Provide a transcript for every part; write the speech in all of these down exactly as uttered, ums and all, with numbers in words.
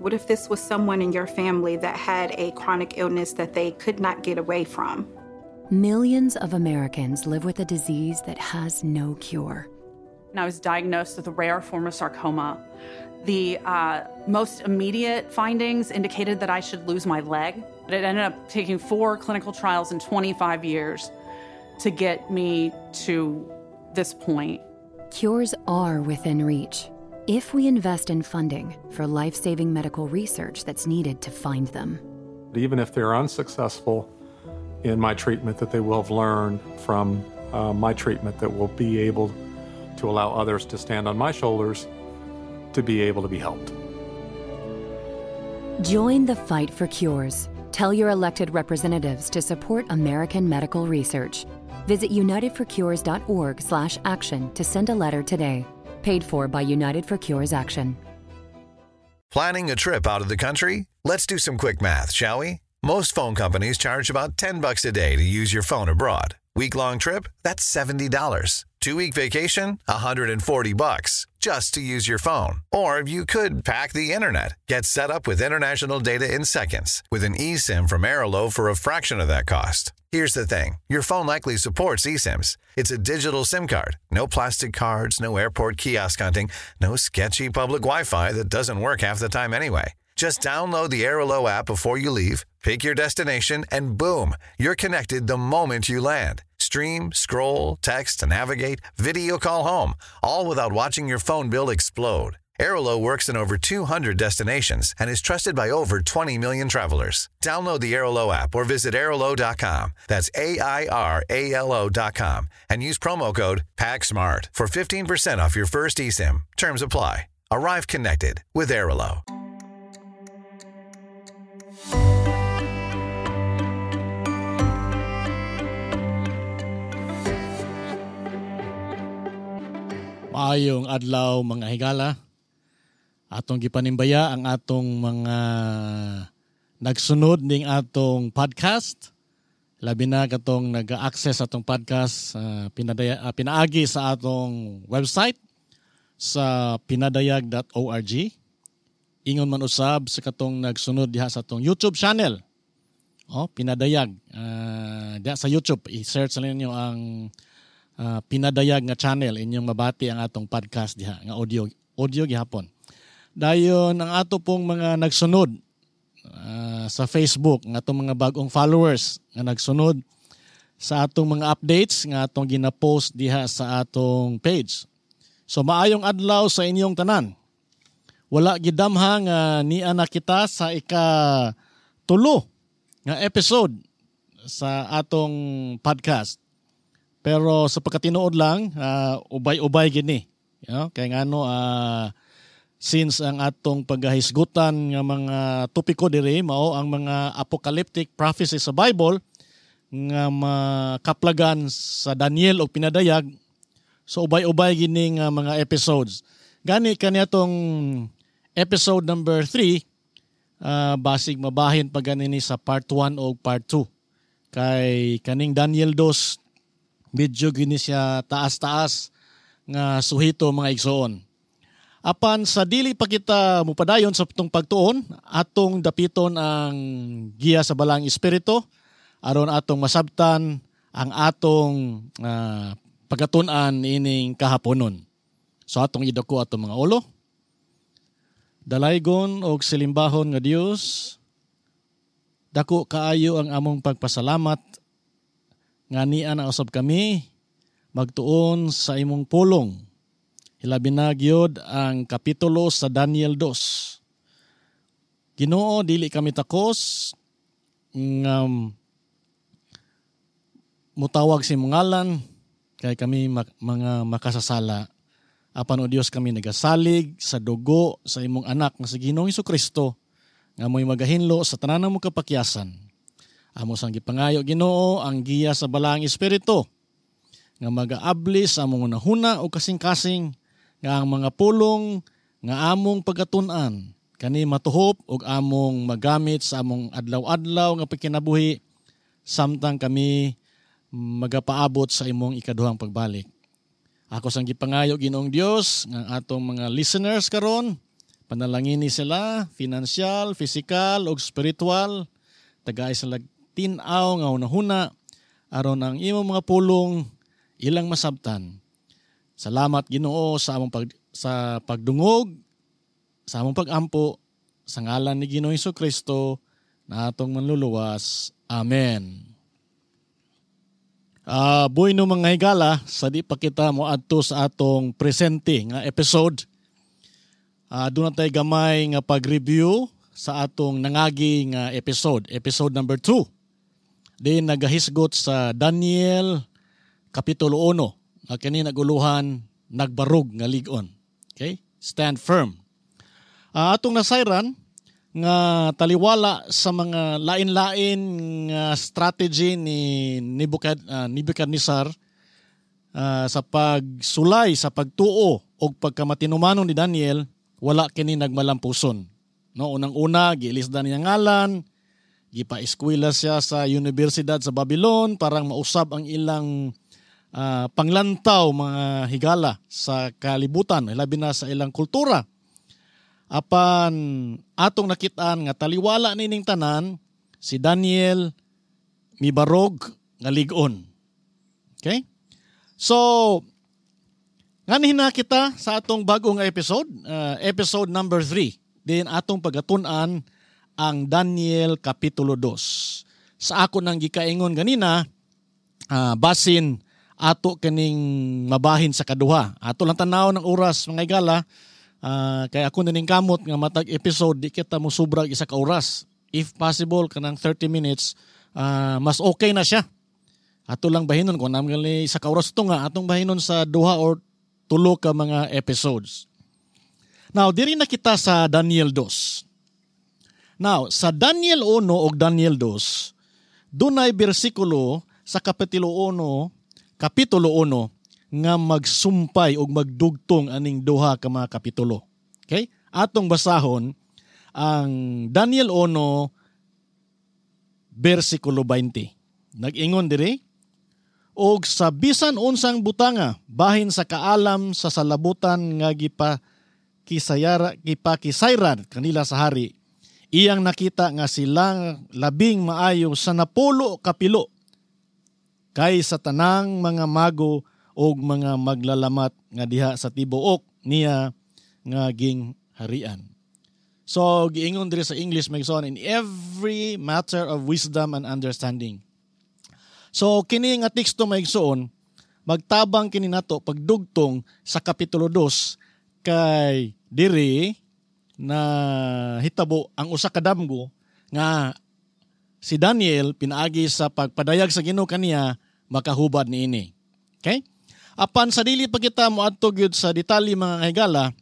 What if this was someone in your family that had a chronic illness that they could not get away from? Millions of Americans live with a disease that has no cure. And I was diagnosed with a rare form of sarcoma. The uh, most immediate findings indicated that I should lose my leg. But it ended up taking four clinical trials in twenty-five years to get me to this point. Cures are within reach if we invest in funding for life-saving medical research that's needed to find them. Even if they're unsuccessful in my treatment, that they will have learned from, uh, my treatment that will be able to allow others to stand on my shoulders to be able to be helped. Join the fight for cures. Tell your elected representatives to support American medical research. Visit united for cures dot org slash action to send a letter today. Paid for by United for Cures Action. Planning a trip out of the country? Let's do some quick math, shall we? Most phone companies charge about ten bucks a day to use your phone abroad. Week-long trip? That's seventy dollars. Two-week vacation? one hundred forty bucks just to use your phone. Or you could pack the internet. Get set up with international data in seconds with an eSIM from Airalo for a fraction of that cost. Here's the thing. Your phone likely supports eSIMs. It's a digital SIM card. No plastic cards, no airport kiosk hunting, no sketchy public Wi-Fi that doesn't work half the time anyway. Just download the Airalo app before you leave, pick your destination, and boom, you're connected the moment you land. Stream, scroll, text, navigate, video call home, all without watching your phone bill explode. Airalo works in over two hundred destinations and is trusted by over twenty million travelers. Download the Airalo app or visit airalo dot com. That's A I R A L O dot com and use promo code PACKSMART for fifteen percent off your first eSIM. Terms apply. Arrive connected with Airalo. Maayong adlaw, mga higala. Atong gipanimbaya ang atong mga nagsunod ning atong podcast. Labi na katong nag-access atong podcast uh, pinadaya, uh, pinaagi sa atong website sa pinadayag dot org. Ingon man usab sa katong nagsunod diha sa atong YouTube channel. Oh, Pinadayag. Uh, diha sa YouTube, i-search na ninyo ang uh, Pinadayag nga channel, inyong mabati ang atong podcast diha nga audio audio gihapon. Dayon ang ato pong mga nagsunod uh, sa Facebook, nga atong mga bagong followers nga nagsunod sa atong mga updates nga atong gina-post diha sa atong page. So maayong adlaw sa inyong tanan. Wala gidamha nga nia na kita sa ika tulo nga episode sa atong podcast. Pero sa pagkatinuod lang, uh, ubay-ubay gini. You know? Kaya ngano, uh, since ang atong paghahisgutan nga mga topiko diri mao ang mga apocalyptic prophecies sa Bible nga makaplagan sa Daniel o Pinadayag, so ubay-ubay gini nga mga episodes. Gani kaniadtong episode number three, uh, basig mabahin pa ganini sa part one o part two. Kay kaning Daniel two, medyo gini siya taas-taas nga suhito, mga igsoon. Apan sa dili pa kita mupadayon sa atong pagtuon, atong dapiton ang giya sa Balaang Espiritu aron atong masabtan ang atong uh, pagkatun-an ining kahaponon. So atong idako atong mga ulo. Dalaygon og silimbahon nga Dios, dako kaayo ang among pagpasalamat nga nia na usab kami magtuon sa imong pulong. Hilabi na gyud ang kapitulo sa Daniel two. Ginoo, dili kami takos nga mutawag sa imong ngalan kay kami mak- mga makasasala. Apan o Dios, kami nagasalig sa dugo sa imong anak nga si Ginoong Kristo nga mo'y magahinlo sa tanan mo kapakyasan. Amo sang gipangayo, Ginoo, ang giya sa Balaang Espiritu nga magaabli sa among hunahuna o kasing-kasing nga ang mga pulong nga among pagkatun-an kani matuhop ug among magamit sa among adlaw-adlaw nga pagkinabuhi samtang kami magapaabot sa imong ikaduhang pagbalik. Ako sang gipangayo, Ginoong Dios, nga atong mga listeners karon Panalangini sila, financial, physical, ug spiritual. Tagay sila tin-aw nga hunahuna aron ang imong mga pulong ilang masabtan. Salamat, Ginoo, sa among pag, sa pagdungog, sa among pagampo sa ngalan ni Ginoong Kristo na atong manluluwas. Amen. Uh, bueno, mga higala, sa di pa kita mo adto sa atong presente nga episode. Uh, doon na tayo gamay nga pag-review sa atong nangagi nga episode, episode number two. Din nagahisgot sa Daniel Kapitulo one, nga kini naguluhan "Nagbarog nga lig-on." Okay? Stand firm. Uh, atong nasayran nga taliwala sa mga lain-lain nga strategy ni Nebuchad, uh, Nebuchadnezzar uh, sa pagsulay sa pagtuo o pagkamatinumanon ni Daniel, wala kini nagmalampuson. No, unang-una, giilisdan niya ngalan, gipa-eskwela siya sa Universidad sa Babylon parang mausab ang ilang uh, panglantaw, mga higala, sa kalibutan, labi na sa ilang kultura. Apan atong nakitaan nga taliwala nining tanan, si Daniel mibarog nga lig-on. Okay? So, nganhi na kita sa atong bagong episode, uh, episode number three. Din atong pagatun-an ang Daniel Kapitulo two. Sa ako nang gikaingon ganina, uh, basin ato kining mabahin sa kaduha. Ato lang tanaw ng oras, mga higala, Uh, kaya ako nining kamot nga matag episode di kita mo sobrag isa ka oras. If possible, kanang thirty minutes, uh, mas okay na siya. Ato lang bahinon kung naman gali isa ka oras to nga atong bahinon sa duha or tulo ka mga episodes. Now, diri na kita sa Daniel two. Now, sa Daniel one ug Daniel two, dunay bersikulo sa Kapitulo one, Kapitulo one nga magsumpay og magdugtong aning duha ka mga kapitulo. Okay? Atong basahon ang Daniel one bersikulo twenty. Nag-ingon diri, "Og sa bisan unsang butanga bahin sa kaalam sa salabutan nga gipa kisayara gipakisayran kanila sa hari, iyang nakita nga sila labing maayo sa napulo kapilo kay sa tanang mga mago og mga maglalamat nga diha sa tibuok niya nga gingharian." So giingon diri sa English, magson, "in every matter of wisdom and understanding." So kini nga teksto, maigsoon, magtabang kini nato pagdugtong sa Kapitulo two kay diri na hitabo ang usa ka damgo nga si Daniel, pinaagi sa pagpadayag sa Ginoo kaniya, makahubad niini. Okay? Apan sa dili pa kita moadto gyud sa detalye, mga higala,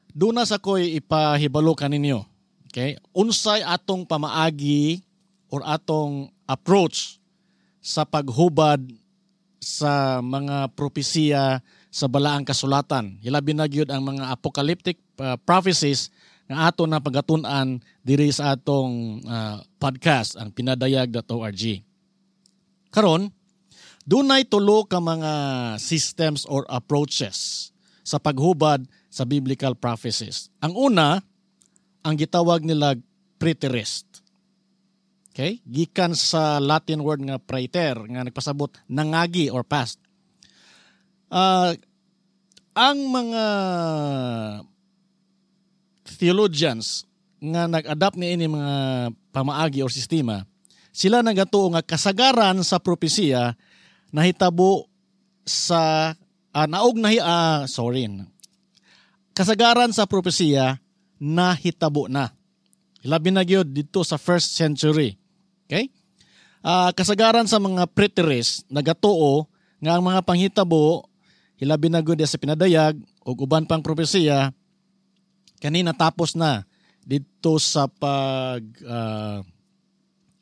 duna sa ko'y ipahibalo kaninyo. Okay? Unsay atong pamaagi or atong approach sa paghubad sa mga propesiya sa Balaang Kasulatan? Hilabi na gyud ang mga apocalyptic uh, prophecies nga ato na pagatun-an diri sa atong uh, podcast, ang pinadayag dot org. Karon, dunay tulo ka mga systems or approaches sa paghubad sa biblical prophecies. Ang una, ang gitawag nila preterist. Okay? Gikan sa Latin word nga praeter, nga nagpasabot nangagi or past. Uh, ang mga theologians nga nag-adapt ni ini mga pamaagi or sistema, sila nagatuo nga kasagaran sa propesiya nahitabo sa uh, naog na uh, sorry, kasagaran sa propesiya nahitabo na, labi na gyud dito sa first century. Okay, uh, kasagaran sa mga preterists nagatuo nga ang mga panghitabo, hilabi na gyud sa pinadayag ug uban pang propesiya, kani natapos na dito sa pag uh,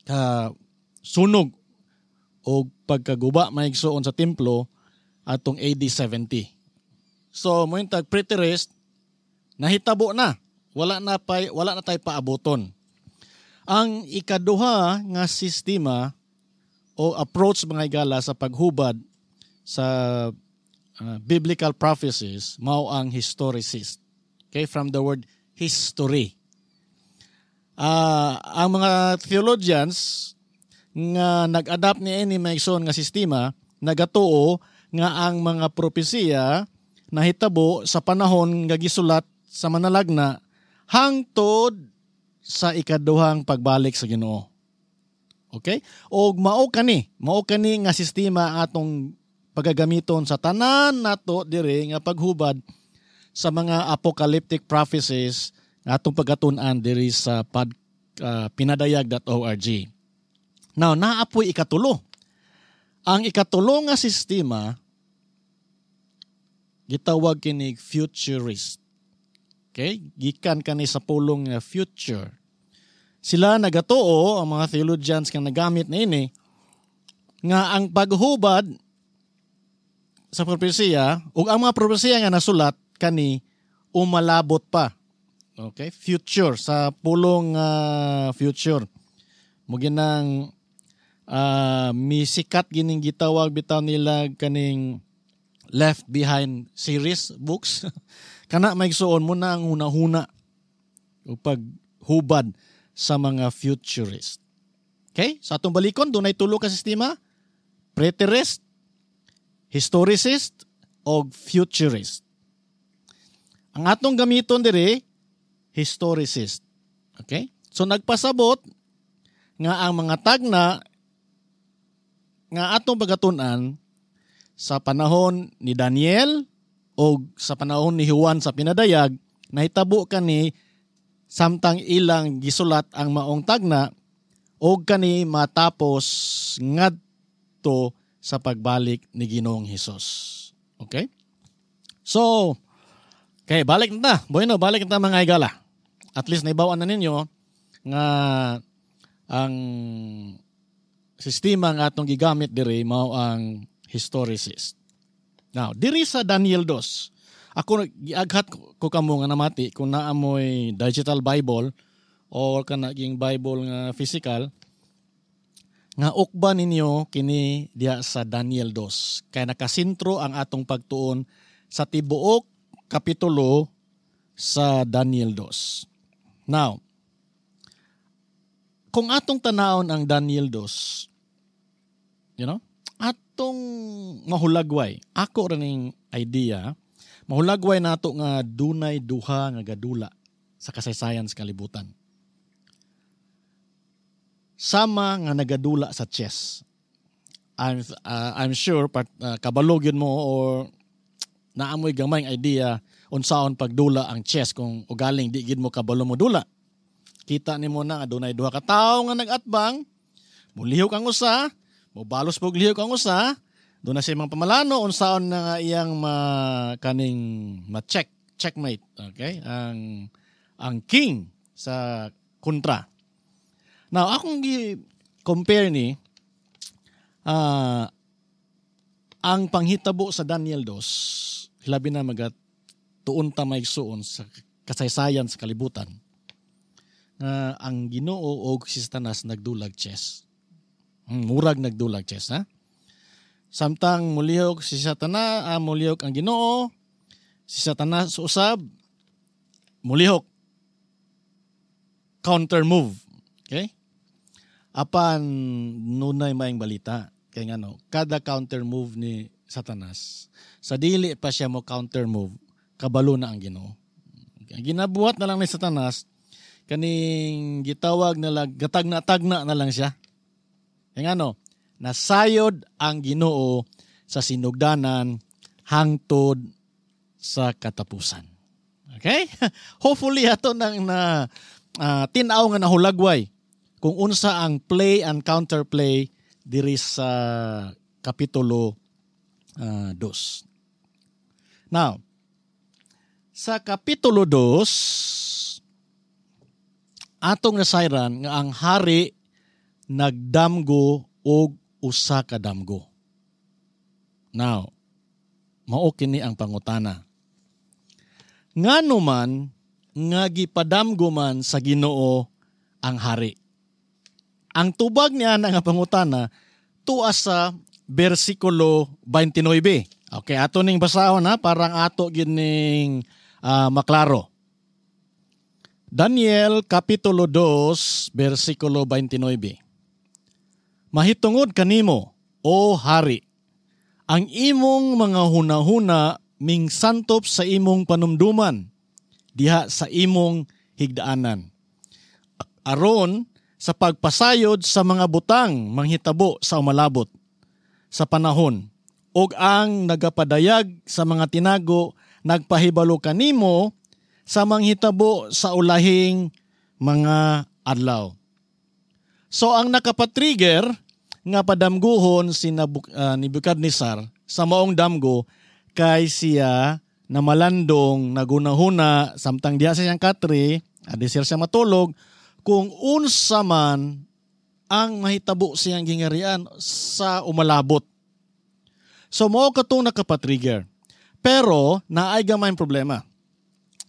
ka sunog o pagkaguba, maigsoon, sa templo atong A D seventy. So mo tag preterist, nahitabo na. Wala na pa, wala na tay paaboton. Ang ikaduha nga sistema o approach, mga higala, sa paghubad sa uh, biblical prophecies mao ang historicist. Okay, from the word history. Uh, ang mga theologians nga nag-adapt ni ini maigsoon nga sistema nagatuo nga ang mga propesiya nahitabo sa panahon nga gisulat sa manalagna hangtod sa ikaduhang pagbalik sa Ginoo. Okay? Og mao kani, mao kani nga sistema atong pagagamiton sa tanan nato diri nga paghubad sa mga apocalyptic prophecies nga atong pagatun-an diri sa pod, uh, pinadayag dot org. Now, naapoy ikatulo. Ang ikatulo nga sistema gitawag kini futurist. Okay? Gikan kani sa pulong nga future. Sila nagatuo, ang mga theologians kang nagamit na ini, nga ang paghubad sa propesiya ug ang mga propesiya nga nasulat kani umalabot pa. Okay? Future, sa pulong uh, future. Muginang uh, misikat gining gitawag bitaw nila kaning Left Behind series books. Kana maigsuon mo na ang hunahuna o paghubad sa mga futurist. Okay? Sa atong balikon, dunay tulo ka sistema: preterist, historicist, o futurist. Ang atong gamiton diri, historicist. Okay? So nagpasabot nga ang mga tagna nga atong pagatun-an sa panahon ni Daniel o sa panahon ni Juan sa pinadayag, nahitabo kani samtang ilang gisulat ang maong tagna og kani matapos ngadto sa pagbalik ni Ginoong Hesus. Okay? So, okay, balik na ta. Bueno, balik na ta mga higala. At least naibawan na ninyo nga ang sistema nga atong gigamit diri mao ang historicist. Now, diri sa Daniel two, ako giaghat ko kamo nga namati kung naamoy digital Bible or kanaging Bible nga physical, nga ukba ninyo kini diha sa Daniel two. Kay nakasentro ang atong pagtuon sa tibuok kapitulo sa Daniel two. Now, kung atong tanawon ang Daniel two, you know, atong mahulagway, ako raning idea, mahulagway nato nga dunay duha nga gadula sa kasaysayan sa kalibutan. Sama nga nagadula sa chess. I'm uh, I'm sure part, uh, kabalog yun mo or naamoy gamay idea unsaon pagdula ang chess kung ugaling di gid mo kabalo mo dula. Kita nimo na nga dunay duha ka tawo nga nagatbang, mulihok ang usa, mobalos pog lihok ang usa, doon na siya mga pamalano unsaon na nga iyang ma, kaning ma-check, checkmate, okay? Ang ang king sa kontra. Now, akong gi-compare ni uh, ang panghitabo sa Daniel two, labi na magatuon ta maigsuon sa kasaysayan sa kalibutan, nga ang Ginoo og si Satanas nagdulag chess. Murag nagdulag chess, ha? Samtang mulihok si Satanas, ah, mulihok ang Ginoo, si Satanas usab, mulihok. Counter move. Okay? Apan nunay maing balita. Kaya nga no, kada counter move ni Satanas, sa dili pa siya mo counter move, kabalo na ang Ginoo. Okay? Ginabuhat na lang ni Satanas, kaning gitawag na lang, gatagna-tagna na lang siya. Kaya nga no, nasayod ang Ginoo sa sinugdanan hangtod sa katapusan. Okay? Hopefully ato nang na uh, tin-aw nga nahulagway kung unsa ang play and counterplay diri sa kapitulo uh, dos. Now, sa kapitulo dos, atong nasayran nga ang hari nagdamgo og usa ka damgo. Now, mao kini ang pangutana. Ngano man nga gipadamgo man sa Ginoo ang hari? Ang tubag niya nga pangutana tuwa sa bersikulo twenty-nine. Okay, ato ning basahon ha, parang ato gining uh, maklaro. Daniel Kapitulo dos, versikulo dalawampu't walo. Mahitungod kanimo, O hari, ang imong mga hunahuna mingsantop sa imong panumduman, diha sa imong higdaanan. Aron sa pagpasayod sa mga butang manghitabo sa umalabot sa panahon, ug ang nagapadayag sa mga tinago nagpahibalo kanimo sa manghitabo sa ulahing mga adlaw. So ang nakapatrigger nga padamguhon si Nabuk, uh, Nebuchadnezzar sa maong damgo kay siya na malandong nagunahuna samtang diha sa siyang katre, adi siya matulog, kung unsa man ang mahitabo siyang gingarian sa umalabot. So mao katong nakapatrigger. Pero naay gamay problema.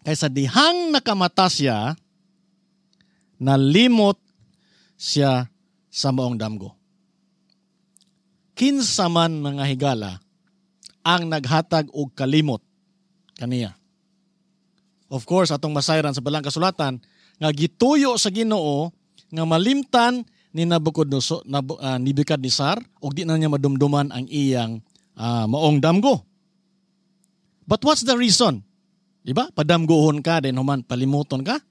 Kaysa dihang nakamata siya, nalimot siya sa maong damgo. Kinsa man, mga higala, ang naghatag og kalimot kaniya? Of course, atong masayran sa Balaang Kasulatan nga gituyo sa Ginoo nga malimtan ni Nabucodonosor, Nabu, uh, Nebuchadnezzar ug di na niya madumduman ang iyang uh, maong damgo. But what's the reason? Di ba? Padamguhon ka, then human palimuton ka.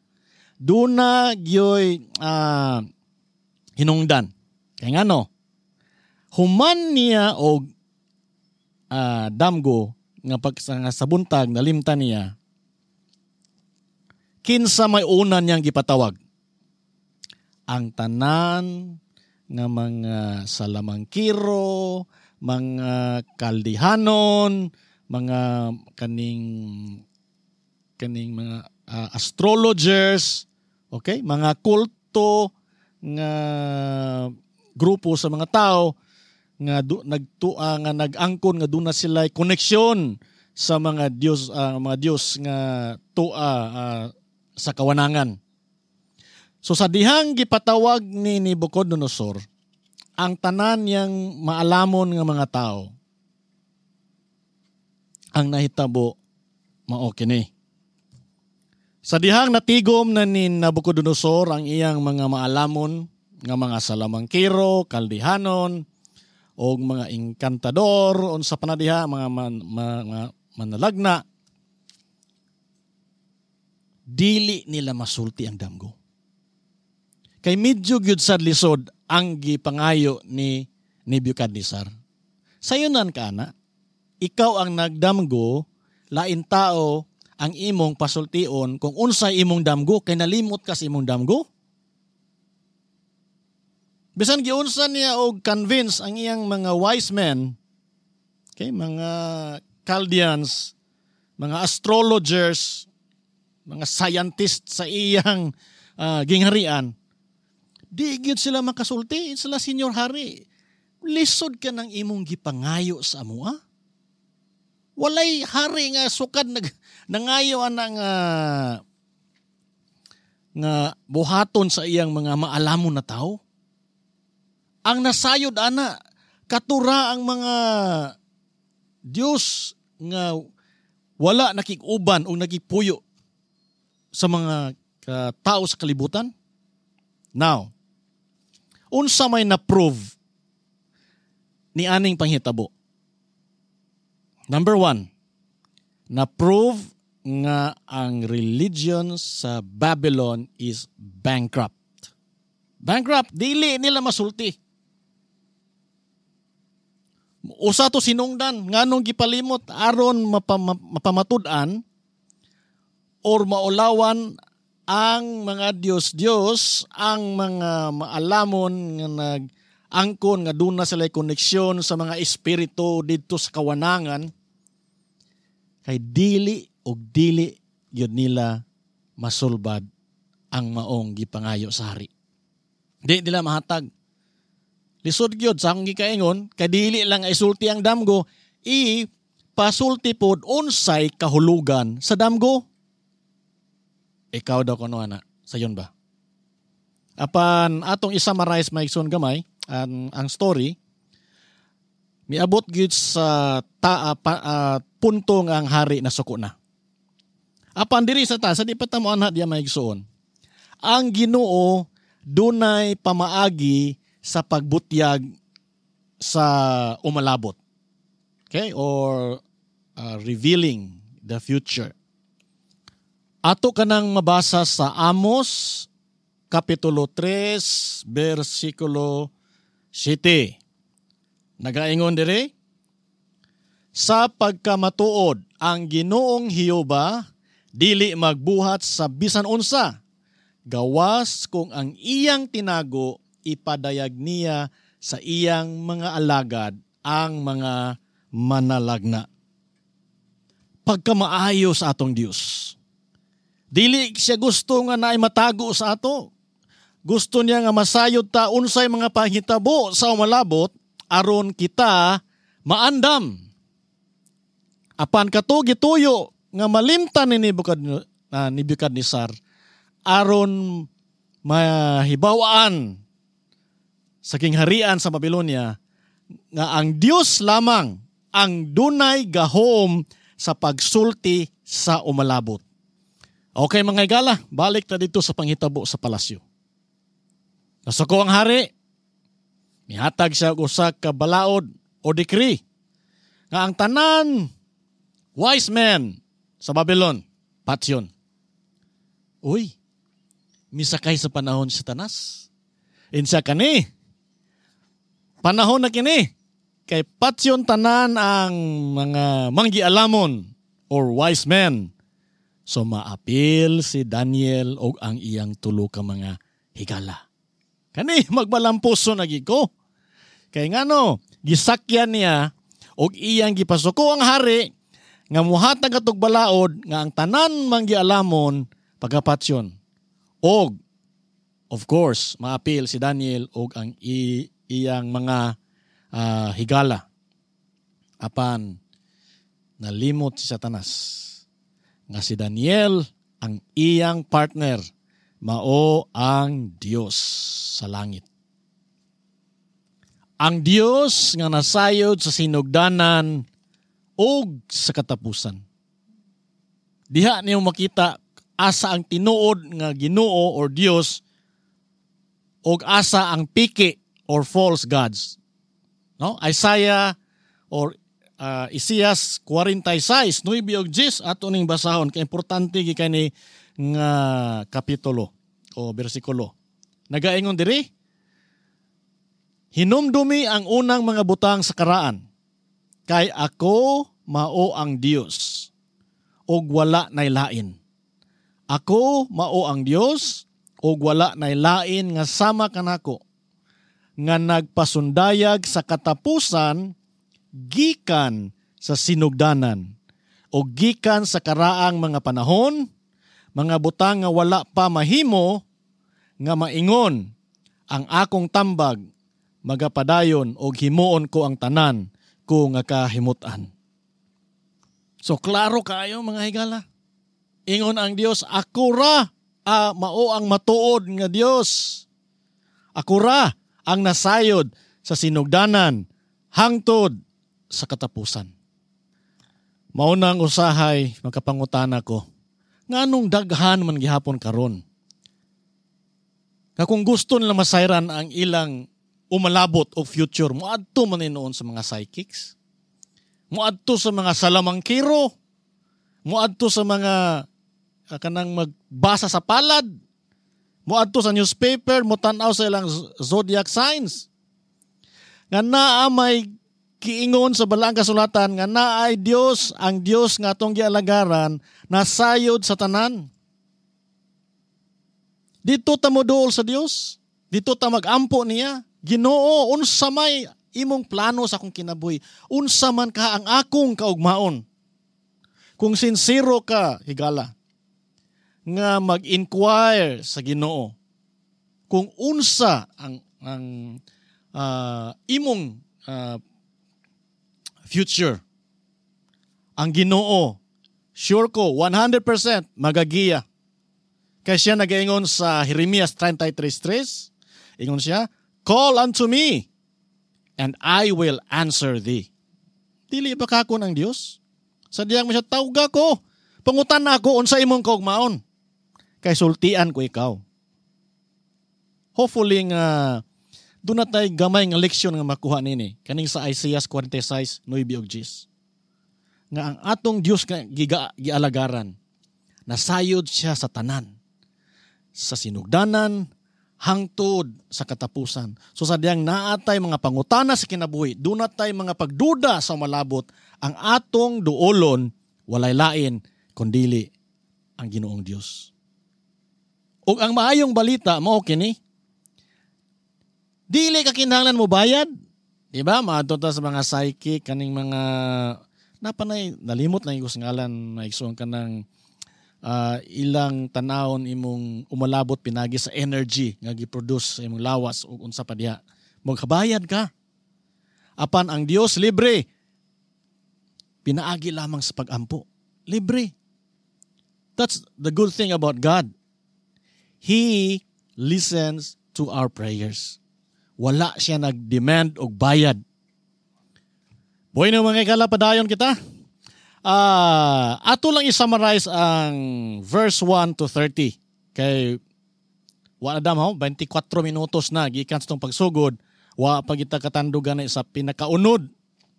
Duna gyoy uh, hinungdan. Kaya nga no, human niya og uh, damgo nga pag nga sa buntag nalimtan niya, kinsa may una niyang gipatawag? Ang tanan nga mga salamangkiro, mga Kaldihanon, mga kaning kaning mga uh, astrologers, okay? Mga kulto nga grupo sa mga tao nga du, nagtua nga nag-angkon nga duna sila koneksyon sa mga Dios, uh, mga Dios nga tua uh, sa kawanangan. So sa dihang gipatawag ni Nabucodonosor ang tanan niyang maalamon nga mga tao, ang nahitabo mao kini. Sa dihang natigom na ni Nabucodonosor ang iyang mga maalamon nga mga salamangkiro, Kaldihanon, o mga inkantador, unsa pa na diha, mga, man, mga manalagna, dili nila masulti ang damgo. Kay medyo gyud sad lisod ang gipangayo ni Nebuchadnezzar. Sayunan ka na, ikaw ang nagdamgo, lain tao ang imong pasultion kung unsay imong damgo, kay nalimot ka sa imong damgo. Bisan giunsa niya og convince ang iyang mga wise men, okay, mga Chaldeans, mga astrologers, mga scientists sa iyang uh, gingharian, di gyud sila makasulti. Sila, "Senyor Hari, lisod ka ng imong gipangayo sa amoa. Walay hari nga sukad nag nangayo ana nga nga buhaton sa iyang mga maalamon na tao. Ang nasayod ana, katura ang mga Dios nga wala nakig-uban o nagigpuyo sa mga uh, tao sa kalibutan." Now, unsa may na-prove ni aning panghitabo? Number one, na-prove nga ang religion sa Babylon is bankrupt. Bankrupt, dili nila masulti. Usa to sinungdan nganong gipalimot aron mapama, mapamatud-an or maulawan ang mga Diyos-Diyos, ang mga maalamon nga nag-angkon nga duna sila koneksyon sa mga espiritu didto sa kawanangan, kay dili og dili gyud nila masulbad ang maong gipangayo sa hari. Di nila mahatag. Lisod gyud sa akong gikaingon kay dili lang isulti ang damgo, i pasulti pod unsay kahulugan sa damgo. Ikaw daw kuno ana, sayon ba? Apan atong i-summarize, mga igsoon gamay, ang, ang story, miabot gyud sa ta, uh, pa, uh, punto nga ang hari na suko na. Apan diri sa ta, sa di pa ta mo anha diya, mga igsoon. Ang Ginoo dunay pamaagi sa pagbutyag sa umalabot. Okay? Or uh, revealing the future. Ato kanang mabasa sa Amos Kapitulo tres versikulo siyete. Nagaingon dire, "Sa pagkamatuod ang Ginoong Hiyuba dili magbuhat sa bisan unsa gawas kung ang iyang tinago ipadayag niya sa iyang mga alagad, ang mga manalagna." Pagkamaayo sa atong Dios. Dili siya gusto nga naay matago sa ato. Gusto niya nga masayod ta unsay mga panghitabo sa umalabot aron kita maandam. Apan kato gituyo nga malimtan ni Nebuchadnezzar aron mahibaw-an sa kingharian sa Babylonia nga ang Dios lamang ang dunay gahom sa pagsulti sa umalabot. Okay, mga higala, balik ta dito sa panghitabo sa palasyo. Nasuko ang hari, mihatag siya og usa ka balaod o decree nga ang tanan wise men sa Babylon patyon. Uy, misakay sa panahon si Satanas. Insa kani? Panahon na kini kay patyon tanan ang mga manggialamon or wise men. So maapil si Daniel og ang iyang tulo ka mga higala. Kani magbalampuso na gid ko. Kay ngano, gisakyan niya og iyang gipasuko ang hari nga muhatag atog balaod nga ang tanan manggialamon pagkapatyon. Og of course, maapil si Daniel og ang i- iyang mga uh, higala. Apan nalimot si Satanas nga si Daniel ang iyang partner mao ang Dios sa langit. Ang Dios nga nasayod sa sinugdanan og sa katapusan. Diha niyo makita asa ang tinuod nga Ginoo or Dios og asa ang piki or false gods. No? Isaiah or uh, Isaias forty-six, nuwebe og diyes, ato ning basahon kay importante gi kani nga kapitulo o bersikulo. Nagaingon diri, "Hinumdumi ang unang mga butang sa karaan, kay ako mao ang Dios ug wala nay lain. Ako mao ang Dios ug wala nay lain nga sama kanako, nga nagpasundayag sa katapusan gikan sa sinugdanan o gikan sa karaang mga panahon, mga butang nga wala pa mahimo, nga maingon, ang akong tambag magapadayon og himuon ko ang tanan ko nga kahimutan." So klaro kaayo, mga higala. Ingon ang Dios, ako ra ah, mao ang matuod nga Dios. Ako ra ang nasayod sa sinugdanan hangtod sa katapusan. Mao nang usahay makapangutana ko, nganong daghan man gihapon karon nga kung gusto nila masayran ang ilang umalabot o future, moadto man noon sa mga psychics, moadto sa mga salamangkiro, moadto sa mga kanang magbasa sa palad, moadto sa newspaper, motan-aw sa ilang zodiac signs. Nga naa may kiingon sa balaang kasulatan nga naay Dios, ang Dios nga atong gialagaran, nasayod sa tanan. Dito ta moduol sa Dios. Dito ta magampo niya. Ginoo, unsa may imong plano sa akong kinabuhi? Unsa man ka ang akong kaugmaon? Kung sinsero ka, higala, nga mag-inquire sa Ginoo kung unsa ang ang uh, imong uh, future, ang Ginoo, sure ko, one hundred percent magagiya. Kay siya nagaingon sa Jeremias thirty-three three, ingon siya, "Call unto me, and I will answer thee." Dili ba kakon ang Dios? Sa diyang mo siya, tawga ko, pangutan na ako unsa imong kaugmaon. Kay sultian ko ikaw. Hopefully nga doon na tay gamay nga leksyon nga makuha nini kaning sa Isaiah forty-six, nine ug ten. Nga ang atong Dios nga giga, gialagaran, nasayod siya sa tanan, sa sinugdanan hangtod sa katapusan. So sa diyang naatay mga pangutana sa kinabuhi, doon natay mga pagduda sa malabot, ang atong duolon walay lain kundili ang Ginoong Dios. Ug ang maayong balita mao kini, dili ka kinahanglan mo bayad. Di ba? Maadto ta sa mga psychic, kaning mga napanay, nalimot lang yung ngalan, maigsoon ka ng uh, ilang tanawon imong umalabot pinagi sa energy nga gi-produce sa imong lawas ug unsa pa diha. Magkabayad ka. Apan ang Dios libre. Pinaagi lamang sa pag-ampo. Libre. That's the good thing about God. He listens to our prayers. Wala siya nag-demand og bayad. Bueno mga ikala, padayon kita. Uh, ato lang i-summarize ang verse one to thirty. Kay wa na dam ho, twenty-four minutos na gikan sa itong pagsugod, wa pa kita katandugan na sa pinakaunod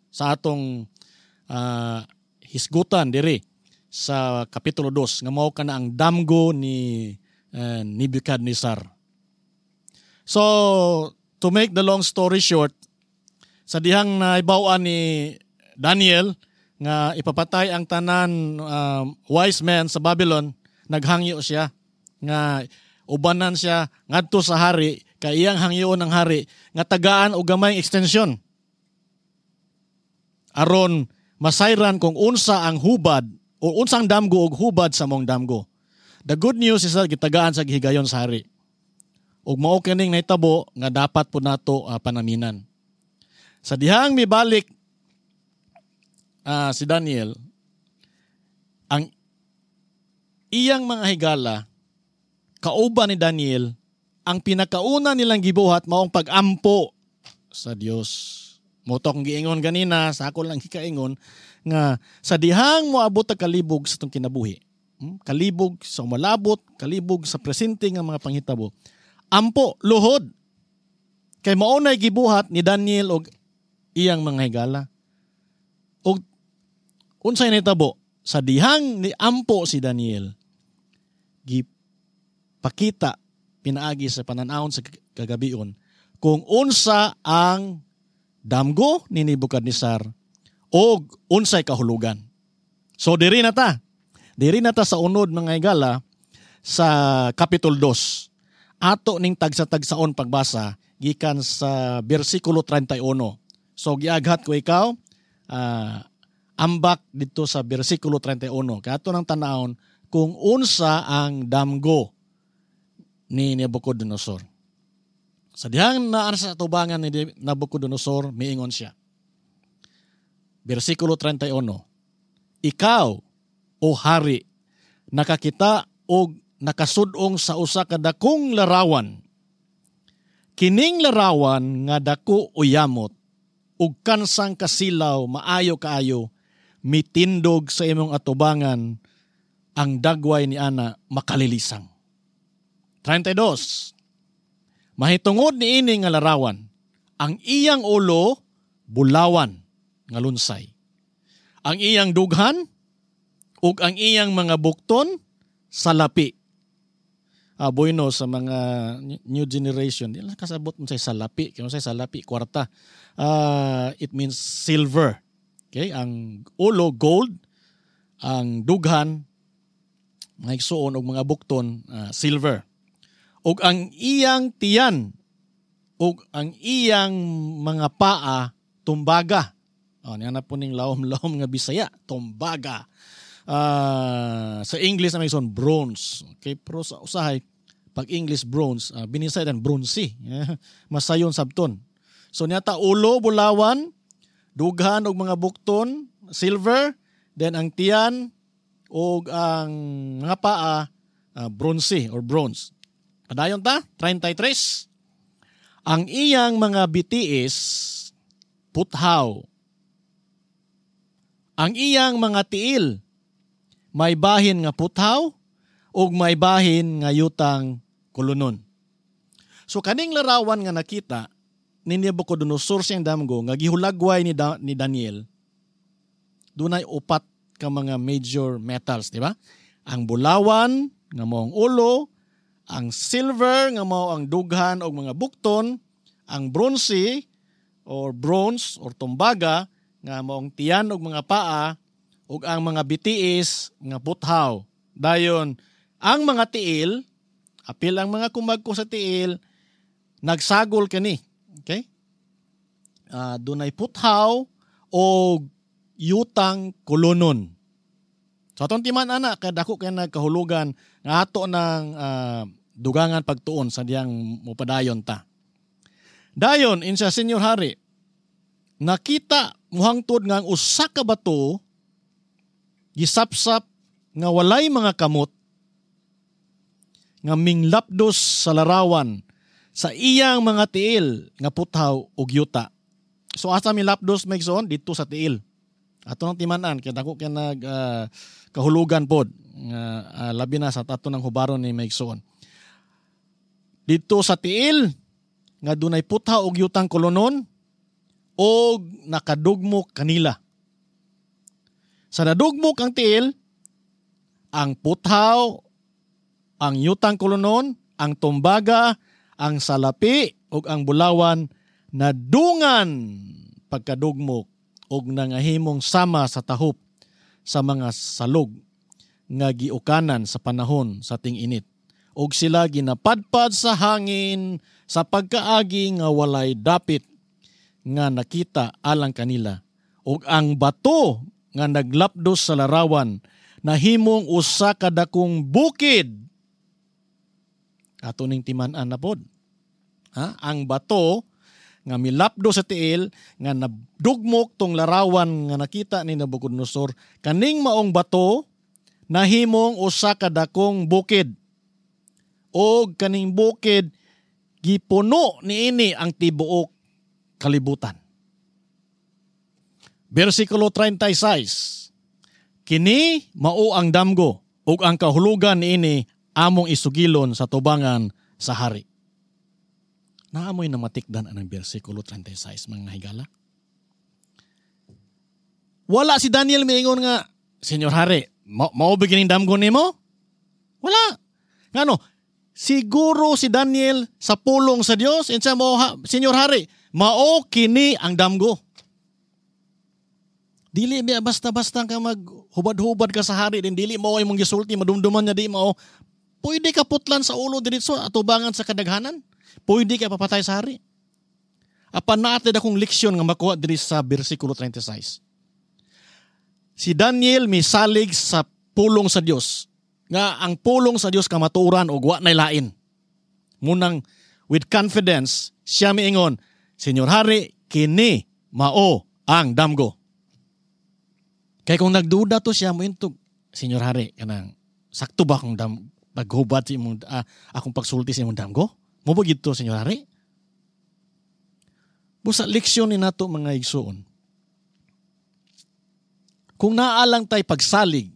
sa atong uh, hisgutan diri sa Kapitulo two nga mao kana ang damgo ni uh, Nebuchadnezzar. So, to make the long story short, sa dihang naibaw-an ni Daniel nga ipapatay ang tanan um, wise men sa Babylon, naghangyo siya nga ubanan siya ngadto sa hari, kay iyang hangyoon ng hari nga tagaan og gamay extension aron masayran kung unsa ang hubad o unsang damgo og hubad sa mong damgo. The good news is that gitagaan sa gihigayon sa hari. Ug mao kining nahitabo nga dapat po nato uh, panaminan. Sa dihang mibalik uh, si Daniel, ang iyang mga higala kauban ni Daniel, ang pinakauna nilang gibuhat maong pag-ampo sa Dios. Mo to akong giingon ganina, sa ako lang gikaingon nga sa dihang moabot ang kalibog sa itong kinabuhi, hmm? Kalibog sa umalabot, kalibog sa presente nga mga panghitabo, ampo, luhod. Kay mao nay gibuhat ni Daniel og iyang mga higala. Og unsay nahitabo? Sa dihang ni ampo si Daniel, gipakita pinaagi sa pananawon sa kagabion kung unsa ang damgo ni Nebuchadnezzar og unsay kahulugan. So diri na ta. Diri na ta sa unod mga higala sa Kapitulo two. Ato ning tagsa-tagsaon pagbasa gikan sa bersikulo thirty-one. So giaghat ko ikaw uh, ambak dito sa bersikulo thirty-one. Kaya ato nang tanawon kung unsa ang damgo ni Nabucodonosor. Sa dihang naa sa tubangan ni Nabucodonosor, miingon siya. Bersikulo thirty-one. Ikaw, o hari, nakakita og nakasudong sa usa ka dakong larawan. Kining larawan nga dako o yamot, ug kansang kasilaw maayo kaayo, mitindog sa imong atubangan, ang dagway ni ana makalilisang. thirty-two. Mahitungod ni ini nga larawan, ang iyang ulo bulawan nga lunsay. Ang iyang dughan ug ang iyang mga bukton salapi. Ah, bueno sa mga new generation, di lang kasabot mo sa salapi, kaya sa salapi kwarta. Uh, it means silver. Okay, ang ulo gold, ang dughan mga igsuon og mga bukton uh, silver. Ug ang iyang tiyan ug ang iyang mga paa tumbaga. Oh, niya na po ning lawom-lawom nga Bisaya, tumbaga. Uh, sa English na may son bronze. Okay, pero sa usahay pag English bronze, uh, binisay dan bronze. Masayon sabton. So niya ta ulo bulawan, dughan og mga bukton silver, then ang tiyan og ang mga paa uh, bronze or bronze. Padayon ta, thirty-three. Ang iyang mga bitiis puthaw. Ang iyang mga tiil may bahin nga puthaw ug may bahin nga yutang kulunon. So kaning larawan nga nakita ni Nebuchadnezzar siyang damgo nga gihulagway ni, da, ni Daniel, dunay upat ka mga major metals, di ba? Ang bulawan nga mao ang ulo, ang silver nga mao ang dughan og mga bukton, ang bronze or bronze or tumbaga nga mao ang tiyan og mga paa, ug ang mga bitiis nga puthaw. Dayon ang mga tiil, apil ang mga kumagko sa tiil, nagsagol kani. Okay? Uh, dunay puthaw o yutang kolonon. So atong timan ana kay dako kay nagkahulugan nga ato ng uh, dugangan pagtuon sa diyang mupadayon ta. Dayon insa Senyor Hari, nakita muhangtod nga ang usa ka bato gisapsap nga walay mga kamot nga minglapdos sa larawan sa iyang mga tiil nga puthaw ug yuta. So asa milapdos maigsoon? Dito sa tiil. Ato nang timan-an kay dako kay nag uh, kahulugan pod nga uh, labi na sa ato ng hubaron ni maigsoon. Dito sa tiil nga dunay puthaw ug yutang kolonon og nakadugmok kanila. Sa nadugmok ang tiil, ang puthaw, ang yutang kolonon, ang tumbaga, ang salapi ug ang bulawan nadungan pagkadugmok og nangahimong sama sa tahop sa mga salog nga giukanan sa panahon sa ting-init. Og sila ginapadpad sa hangin sa pagkaagi nga walay dapit nga nakita alang kanila. Og ang bato nga naglapdos sa larawan nahimong usa ka dakong bukid. Ato ning timan-an na pod. Ha? Ang bato nga milapdo sa tiil nga nadugmok tong larawan nga nakita ni Nabucodonosor, kaning maong bato nahimong usa ka dakong bukid. Og kaning bukid gipuno niini ang tibuok kalibutan. Bersikulo thirty-six. Kini mao ang damgo ug ang kahulugan niini among isugilon sa tubangan sa hari. Naamoy na matikdan ang bersikulo thirty-six, mga higala. Wala si Daniel miingon nga, Senyor Hari, ma- mao ba kining damgo nimo? Wala. Ngano? Siguro si Daniel sa pulong sa Dios, insa mo ha, Senyor Hari, mao kini ang damgo. Dili biya basta-basta ka maghubad-hubad ka sa hari din, dili mao imong gisulti, madumduman niya di mao. Pwede ka putlan sa ulo diretso atubangan sa kadaghanan. Pwede ka papatay sa hari. Apan natin akong leksyon nga makuha diri sa bersikulo thirty-six. Si Daniel misalig sa pulong sa Dios. Nga ang pulong sa Dios kamatuoran og wa nay lain. Munang with confidence siya miingon, Senyor Hari, kini mao ang damgo. Kay kung nagduda to siya mointog, Senyor Hari, kanang sakto ba akong dam paghubad sa imong ah, akong pagsulti sa imong damgo? Mo ba gidto, Senyor Hari? Busa leksyon ni nato mga igsuon. Kung naalang tay pagsalig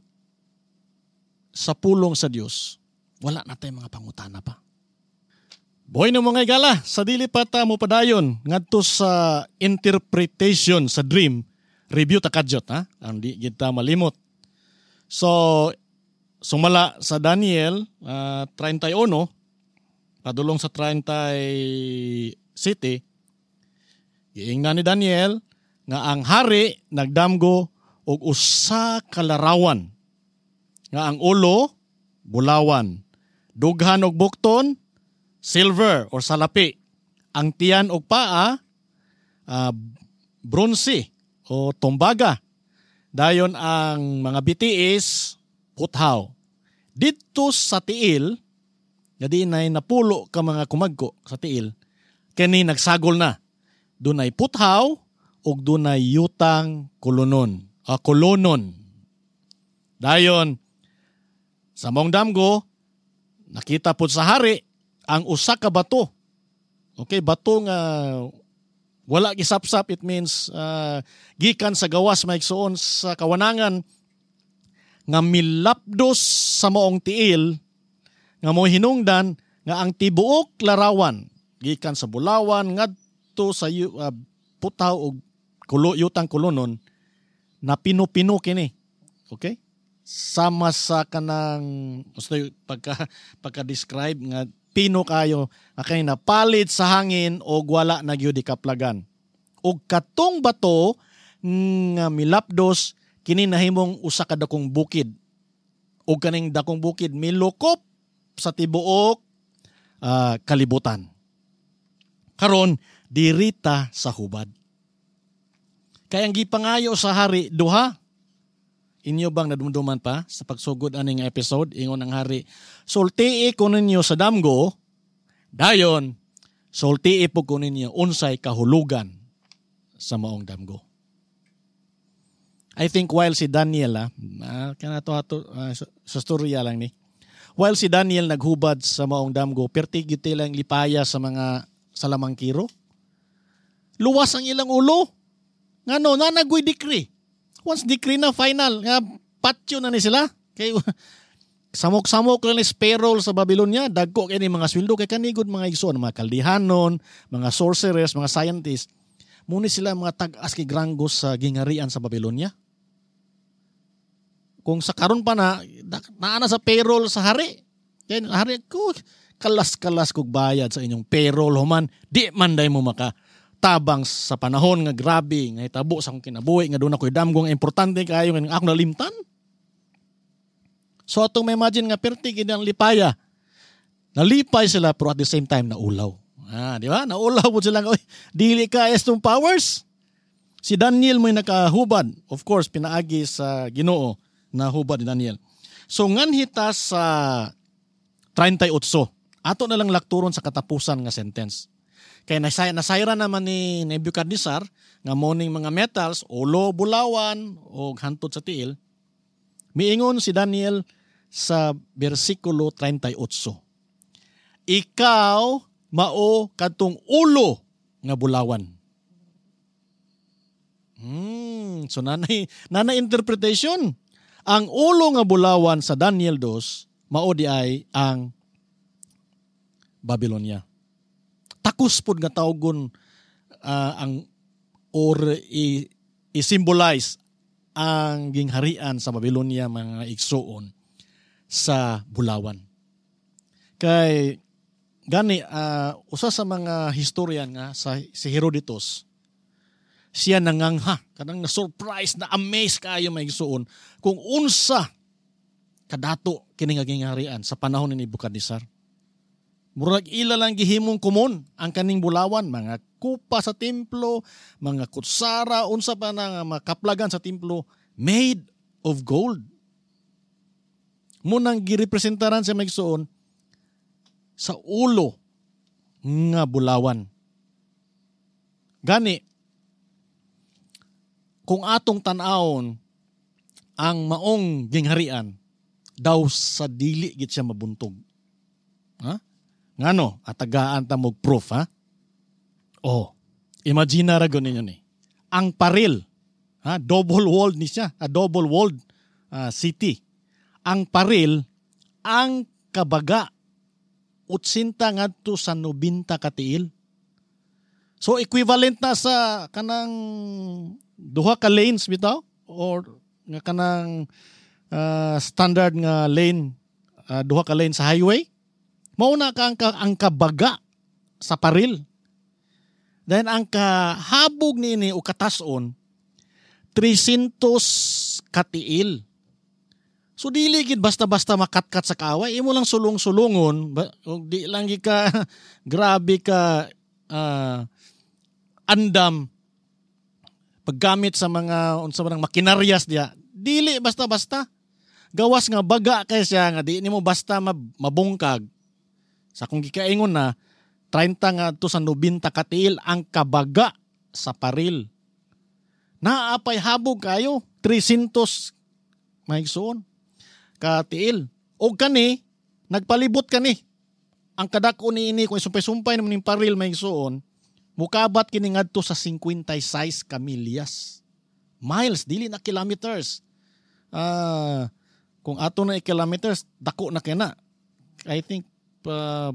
sa pulong sa Dios, wala na tay mga pangutana pa. Boy na mga igala, sa dili pa ta mo padayon ngadto sa interpretation sa dream, review ta kadyot ha, ang di kita malimot. So sumala sa Daniel uh, thirty-one padulong sa thirty-six, giingnan ni Daniel nga ang hari nagdamgo og usa ka larawan nga ang ulo bulawan, dughan og bukton silver or salapi, ang tiyan og paa uh, bronze o tumbaga, dayon ang mga bitiis puthaw. Didto sa tiil nga di nay napulo ka mga kumagko sa tiil, kini nagsagol na. Dunay puthaw ug dunay yutang kolonon, uh, kolonon. Dayon sa mong damgo nakita pud sa hari ang usa ka bato. Okay, bato nga wala gisapsap, it means uh, gikan sa gawas maigsuon sa kawanangan nga milapdos sa maong tiil nga mo hinungdan nga ang tibuok larawan Gikan sa bulawan ngadto sa uh, putaw og kulo yutang kulunon na pino-pino kini. Okay? Sama sa kanang gusto pagka pagka-describe nga pino kayo nga kani napalit sa hangin og wala na gyud ikaplagan. Og katong bato nga milapdos kini nahimong usa ka dakong bukid. Og kaning dakong bukid milukop sa tibuok uh, kalibutan. Karon dirita sa hubad. Kay ang gipangayo sa hari duha. Inyo bang nadumduman pa sa pagsugod aning episode? Ingon ang hari, sultii ko ninyo sa damgo, dayon sultii po ko ninyo unsay kahulugan sa maong damgo. I think while si Daniel, ah, kana to ato uh, sa, sa storya lang ni, while si Daniel naghubad sa maong damgo, perti gyud lang lipaya sa mga salamangkiro. Luwas ang ilang ulo. Ngano, nanagoy decree. Once decree na final, nga patyo na ni sila. Kay samok-samok lang ni payroll sa Babylonia, dagko kay ni mga sweldo kay kanigod mga igsoon, mga kaldihanon, mga sorcerers, mga scientists. Muni sila mga tag-as kay grangos sa gingarian sa Babylonia. Kung sa karon pa na, naa na sa payroll sa hari. Kay hari ko kalas-kalas kog bayad sa inyong payroll human, di man day mo maka tabang sa panahon nga grabe nga hitabo sa akong kinabuhi nga doon ako'y damgo nga importante kaayo nga akong nalimtan. So atong may imagine nga perti gid ang lipaya. Nalipay sila pero at the same time naulaw. Ah, di ba? Naulaw pud sila nga, oy, dili ka estong powers. Si Daniel mo'y nakahubad. Of course, pinaagi sa Ginoo na hubad ni Daniel. So nganhita sa thirty-eight. Ato na lang lakturon sa katapusan nga sentence. Kay nasay nasayra naman ni Nebuchadnezzar nga morning mga metals, ulo, bulawan o hantod sa tiil. Miingon si Daniel sa bersikulo thirty-eight. Ikaw mao kadtong ulo nga bulawan. Hmm, so nanay nanay interpretation. Ang ulo nga bulawan sa Daniel two mao di ay ang Babylonia. Takos pod nga tawgon uh, ang or i, i-symbolize ang gingharian sa Babylonia mga igsuon sa bulawan. Kay gani uh, usa sa mga historian nga sa si Herodotus, siya nangangha, kanang na surprise, na amaze kaayo mga igsuon kung unsa kadato kini nga gingharian sa panahon ni Nebuchadnezzar. Murag ila lang gihimong komon ang kaning bulawan, mga kupa sa templo, mga kutsara, unsa pa na nga makaplagan sa templo, made of gold. Munang girepresentaran sa maigsoon sa ulo nga bulawan. Gani, kung atong tan-awon ang maong gingharian, daw sa dili gid siya mabuntog. Ha? Ngano, atagaan ta mo proof, ha? Oh, imagine ra gyud ninyo ni. Ang paril, ha, double walled ni siya, a double walled uh, city. Ang paril, ang kabaga otsinta ngadto sa nobenta ka tiil. So equivalent na sa kanang duha ka lanes bitaw or nga kanang uh, standard nga lane, uh, duha ka lane sa highway. Mauna ka ang, ang kabaga sa paril. Then ang kahabog niini o katason three hundred katiil. So dili gid basta-basta makatkat sa kaaway, imo lang sulong-sulungon, og di lang gid ka grabe ka uh, andam paggamit sa mga unsa man ang makinaryas diya. Dili basta-basta. Gawas nga baga kay siya nga di nimo basta mabungkag. Sa kung gikaingon na trenta nga to sa nobenta katiil ang kabaga sa paril. Naapay habog kayo three hundred mahigsuon katiil. Og kani nagpalibot kani. Ang kadako niini kung isumpay-sumpay naman ning paril mahigsuon, mukabat kini ngadto sa fifty-six ka milyas. Miles, dili na kilometers. Ah, uh, kung ato na kilometers, dako na kina. I think uh,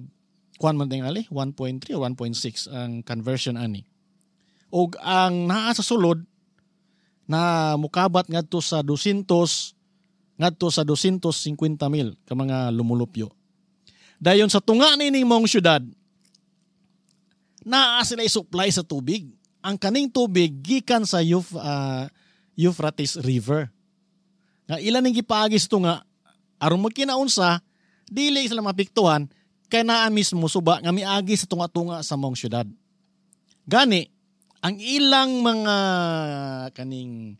Kuan man tingali, one point three or one point six ang conversion ani. Og ang naa sa sulod na mukabat ngadto sa doscientos ngadto sa doscientos cincuenta mil ka mga lumulupyo. Dayon sa tunga nining mong syudad, naa sila supply sa tubig. Ang kaning tubig gikan sa Euf, uh, Euphrates River. Nga ilan ning gipaagi sa tunga aron magkinaunsa, dili sila mapiktuhan kay naa mismo suba nga miagi sa tunga-tunga sa mong syudad. Gani ang ilang mga kaning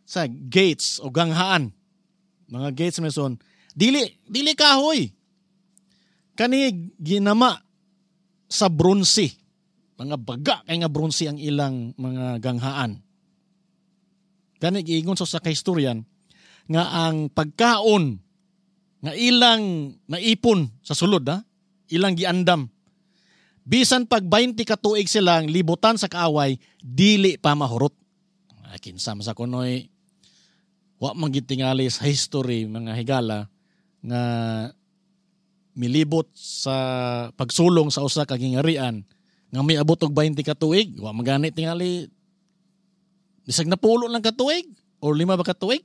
sa gates o ganghaan, mga gates meson, dili dili kahoy. Kani ginama sa bronze. Mga baga kay nga bronze ang ilang mga ganghaan. Gani giingon sa kahistoryan nga ang pagkaon nga ilang naipon sa sulod, ha, ilang giandam. Bisan pag twenty ka tuig silang libutan sa kaaway, dili pa mahurot. Ay, kinsa man sa kunoy, wa man gitingali sa history mga higala nga milibot sa pagsulong sa usa ka gingarian nga miabot og twenty ka tuig, wa man gani tingali bisag napulo lang ka tuig or lima ba ka tuig.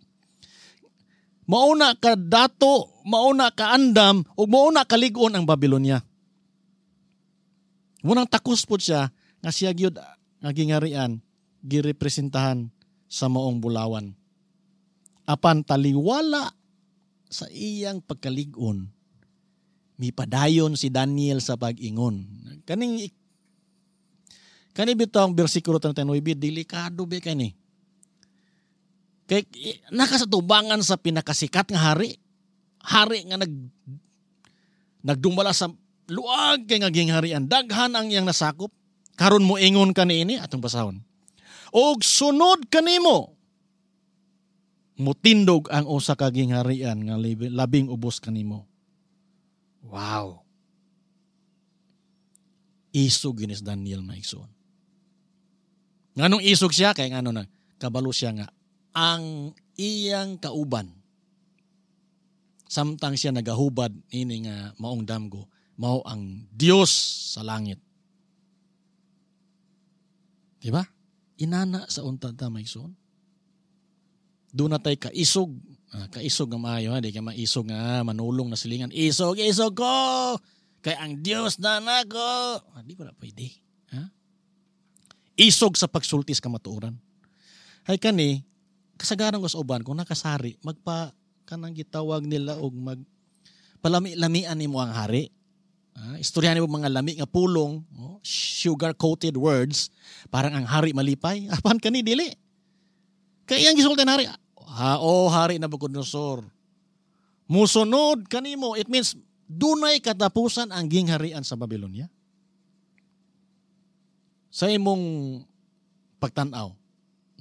Mauna ka dato, mauna ka andam, ug mauna ka lig-on ang Babylonia. Munang takos po siya nga siya gyud nga gingarian girepresentahan sa maong bulawan. Apan taliwala sa iyang pagkalig-on, mipadayon si Daniel sa pag-ingon. Kaning kani bitaw ang bersikulo treinta y nueve, delikado ba kani? Kay nakasatubangan sa pinakasikat nga hari, hari nga nag nagdumala sa luag kay nga gingharian, daghan ang iyang nasakop. Karon mo ingon kaniini atong basahon. Og sunod kanimo mutindog ang usa ka gingharian nga labing ubos kanimo. Wow. Isog ginis Daniel maigsoon. Nganong isog siya kay ngano na kabalo siya nga ang iyang kauban samtang siya nagahubad ini nga maong damgo mao ang Dios sa langit. Diba? Inana sa unta ta maigsoon. Doon na tay kaisog. Ah, kaisog nga maayo, ha? Di ka maisog nga manulong na silingan. Isog, isog ko! Kay ang Dios na nako! Ah, di ba na pwede? Ha? Isog sa pagsultis kamatuoran. Hay kani, kasagaran ko sa uban, kung nakasari, magpa, kanang gitawag nila og mag, palami-lamian nimo ang hari. Ah, istoryahan nimo mga lami nga pulong, oh, sugar-coated words, parang ang hari malipay. Apan kani, dili. Kaya iyang gisulti ang hari, ha, oh, hari Nabucodonosor, musunod kanimo. It means, dunay katapusan ang gingharian sa Babylonia. Sa imong pagtan-aw,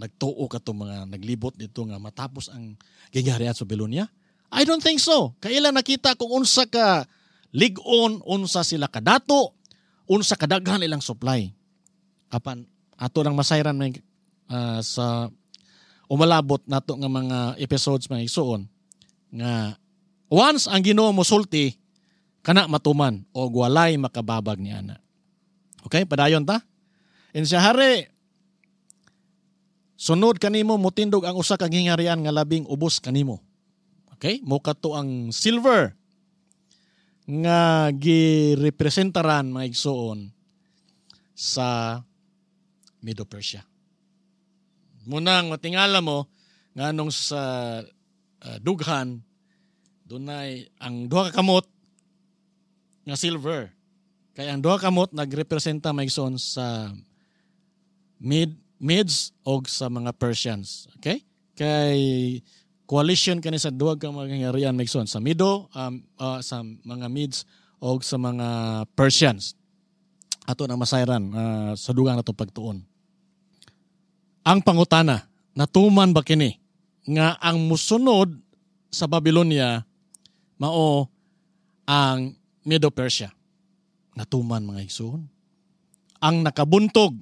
nagtuo ka to mga naglibot dito nga matapos ang gingharian sa Babylonia? I don't think so. Kailan nakita kung unsa ka lig-on, unsa sila kadato, unsa kadaghan ilang supply. Apan ato lang masayran may, uh, sa umalabot nato nga mga episodes mga igsuon nga once ang Ginoo mosulti kana matuman og walay makababag ni ana. Okay, padayon ta. In siya hari, sunod kanimo mutindog ang usa ka gingharian nga labing ubos kanimo. Okay, mo kadto ang silver nga girepresentaran mga igsuon sa Medo-Persia. Munang matingala mo nganong sa uh, dughan dunay ang duha ka kamot nga silver. Kay ang duha kamot nagrepresenta mga igsoon sa Mid Medes og sa mga Persians. Okay? Kay coalition kani sa duha ka mga gingharian mga igsoon, sa Medo, um, uh, sa mga Medes og sa mga Persians. Ato na masayran uh, sa dugang nato pagtuon. Ang pangutana, natuman ba kini nga ang musunod sa Babylonia mao ang Medo-Persia? Natuman mga igsoon. Ang nakabuntog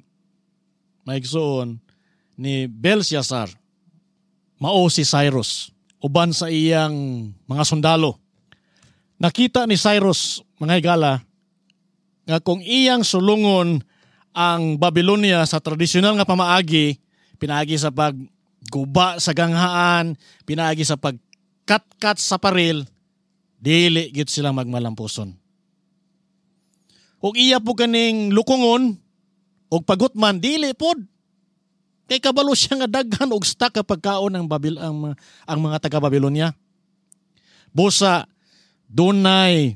mga igsoon ni Belshazzar mao si Cyrus uban sa iyang mga sundalo. Nakita ni Cyrus mga higala nga kung iyang sulungon ang Babylonia sa tradisyonal nga pamaagi, pinaagi sa pagguba sa ganghaan, pinaagi sa pagkatkat sa paril, dili gyud sila magmalampuson. Ug iya po kaning lukongon og pagutman, dili pod. Kay kabalo siya nga daghan og stock ka pagkaon ang Babil ang, ang mga taga Babylonia. Busa dunay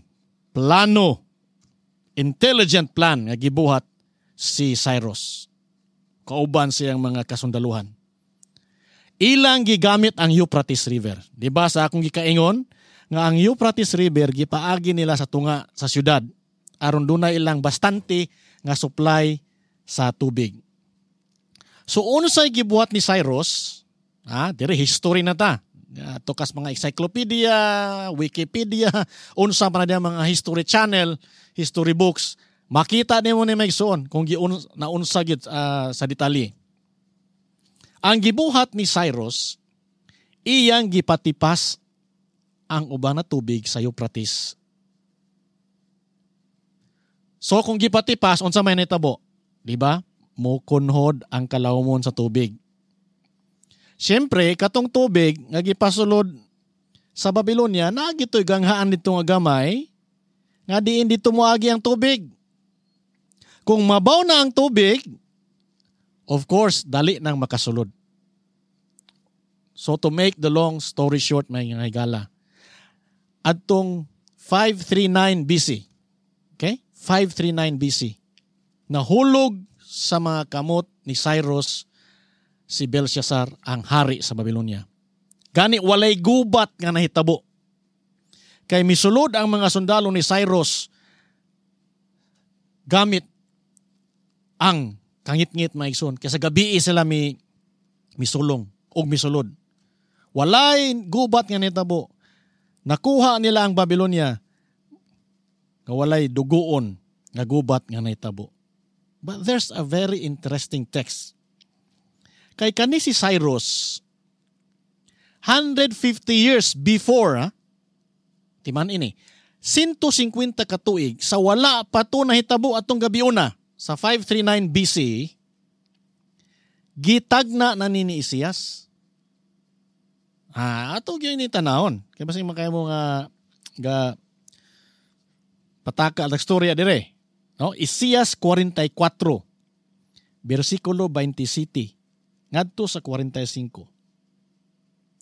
plano, intelligent plan nga gibuhat si Cyrus kauban siyang mga kasundaluhan. Ilang gigamit ang Euphrates River. Di ba sa akong gikaingon nga ang Euphrates River gipaagi nila sa tunga sa syudad aron dunay ilang bastante nga supply sa tubig. So unsay gibuhat ni Cyrus? Ah, dire history na ta. Tukas mga encyclopedia, Wikipedia, unsa pa na diya mga history channel, history books. Makita nimo ni maigsoon kung giun naunsa gyud uh, sa detalye. Ang gibuhat ni Cyrus, iyang gipatipas ang uban na tubig sa Euphrates. So kung gipatipas, unsa may nitabo? Di ba? Mukunhod ang kalawmon sa tubig. Siyempre, katong tubig nga gipasulod sa Babylonia, naa gito'y ganghaan dito nga gamay, nga diin dito moagi ang tubig. Kung mabaw na ang tubig, of course, dali nang makasulod. So to make the long story short, may nga higala, adtong five thirty-nine B C, okay? five thirty-nine B C, nahulog sa mga kamot ni Cyrus si Belshazzar ang hari sa Babylonia. Gani walay gubat nga nahitabo. Kay misulod ang mga sundalo ni Cyrus gamit ang kangitngit maigsoon. Kaya sa gabi sila mi misulong og misulod. Walay gubat nga nahitabo. Nakuha nila ang Babylonia nga walay dugoon nga gubat nga nahitabo. But there's a very interesting text. Kay kani si Cyrus, one hundred fifty years before, ha? Timan ini, one fifty katuig, sa wala pa to nahitabo atong gabiuna, sa five thirty-nine B C, gitagna na ni ni Isaias. Ah, ato gyud ni tanawon. Kay basing makaya mo nga ga pataka ang istorya dire. No, Isaias forty-four, versikulo twenty-seven ngadto sa forty-five.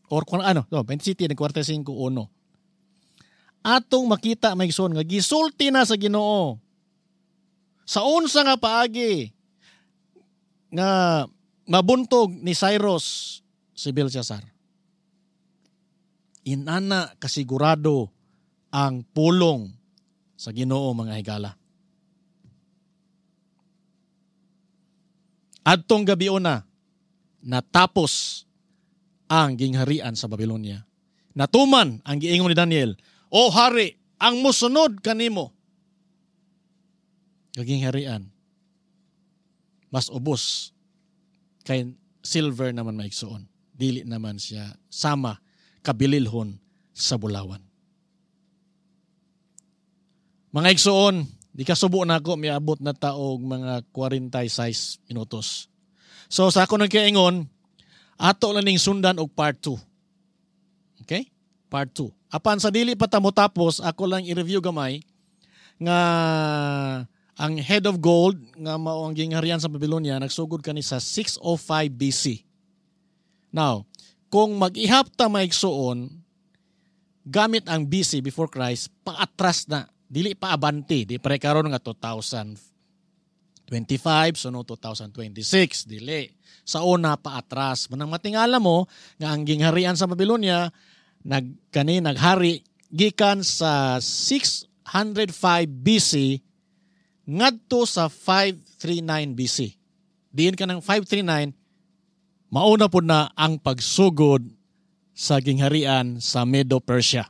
Or kung ano, no, twenty-seven nag forty-five uno. Atong makita maigsoon nga gisulti na sa Ginoo. Sa unsa nga paagi nga mabuntog ni Cyrus si Belshazzar. Inana kasigurado ang pulong sa Ginoo mga higala. Adtong gabiona, natapos ang gingharian sa Babylonia. Natuman ang giingon ni Daniel, O hari, ang musunod kanimo gingharian mas ubos kay silver naman maigsoon. Dili naman siya sama kabililhon sa bulawan. Mga igsoon, di kasubo na ako, miabot na taog mga forty-six minutos. So sa ako nang kaingon, ato lang ning sundan og part two. Okay? Part two. Apan sa dili pa ta mo tapos, ako lang i-review gamay nga ang head of gold nga mao ang gingharian sa Babylonia nagsugod kani sa six oh five B C. Now, kung mag-ihap ta maigsuon gamit ang B C before Christ, paatras na, dili pa abante, di pare karon nga two thousand twenty-five, sunod two thousand twenty-six, dili. Sa una paatras. Manang matingala mo nga ang gingharian sa Babylonia nag kani naghari gikan sa six hundred five B C ngadto sa five thirty-nine B C. Diin ka ng five thirty-nine, mauna po na ang pagsugod sa gingharian sa Medo-Persia.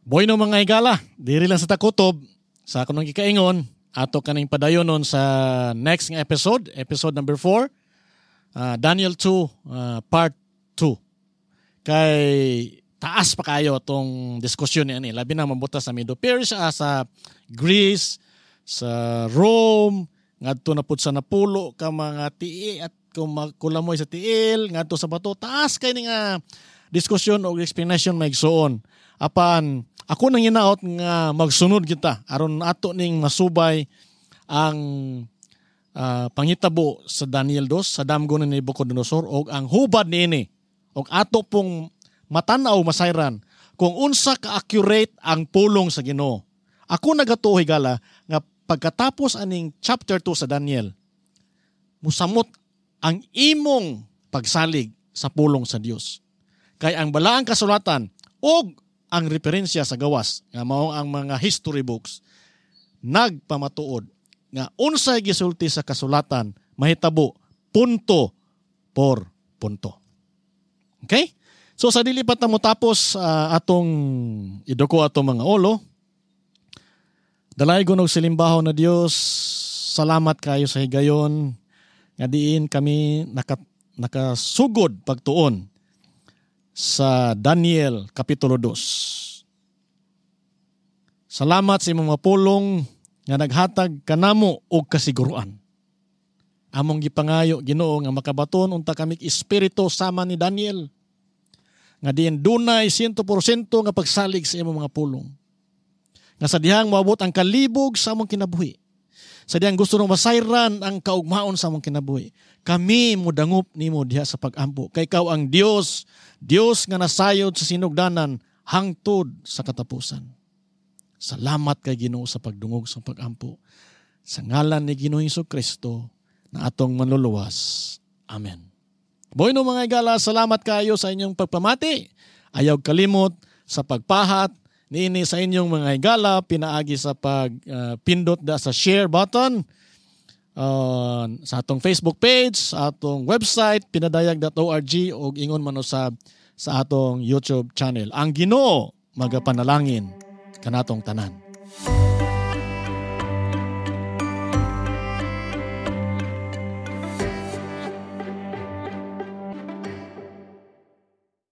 Bueno mga higala, diri lang sa takutob, sa ako nang gikaingon, ato kaning padayonon sa next nga episode, episode number four, uh, Daniel two, uh, part two. Kay taas pa kayo tong diskusyon ni ani, labi na mabuta sa Medo-Persia, sa Greece, sa Rome ngadto na pud sa napulo ka mga tii at kung kulamoy sa tiil ngadto sa bato. Taas kay ni nga diskusyon o explanation, mga igsoon. Apan ako nang hinaot nga magsunod kita aron ato ning masubay ang uh, panghitabo sa Daniel two sa damgo ni Nebuchadnezzar og ang hubad niini og ato pong matan-aw, masayran kung unsa ka accurate ang pulong sa Ginoo. Ako nagatuo, higala, nga pagkatapos aning chapter two sa Daniel, musamot ang imong pagsalig sa pulong sa Dios. Kay ang balaang kasulatan og ang referensya sa gawas nga mao ang mga history books nagpamatuod nga unsay gisulti sa kasulatan mahitabo punto por punto. Okay? So sa dili pa ta mo tapos uh, atong iduko atong mga ulo. Dalaygon og silimbahon na Dios, salamat kayo sa higayon nga diin kami naka, nakasugod pagtuon sa Daniel Kapitulo two. Salamat sa imong mga pulong nga naghatag kanamo og kasiguruan. Among gipangayo, Ginoo, nga makabaton unta kami espiritu sama ni Daniel nga diin dunay one hundred percent nga pagsalig sa imong mga pulong. Nga sa dihang moabot ang kalibog sa among kinabuhi, sa dihang gusto nang masayran ang kaugmaon sa among kinabuhi, kami mudangop nimo diha sa pag-ampo. Kay ikaw ang Dios, Dios nga nasayod sa sinugdanan hangtod sa katapusan. Salamat kay Ginoo sa pagdungog sa pag-ampo. Sa ngalan ni Ginoo Hesus Kristo na atong manluluwas. Amen. Bueno, mga igala, salamat kayo sa inyong pagpamati. Ayaw kalimot sa pagpahat niini sa inyong mga higala pinaagi sa pagpindot uh, da sa share button uh, sa atong Facebook page, sa atong website pinadayag dot org ug ingon man usab sa atong YouTube channel. Ang Ginoo magapanalangin kanatong tanan.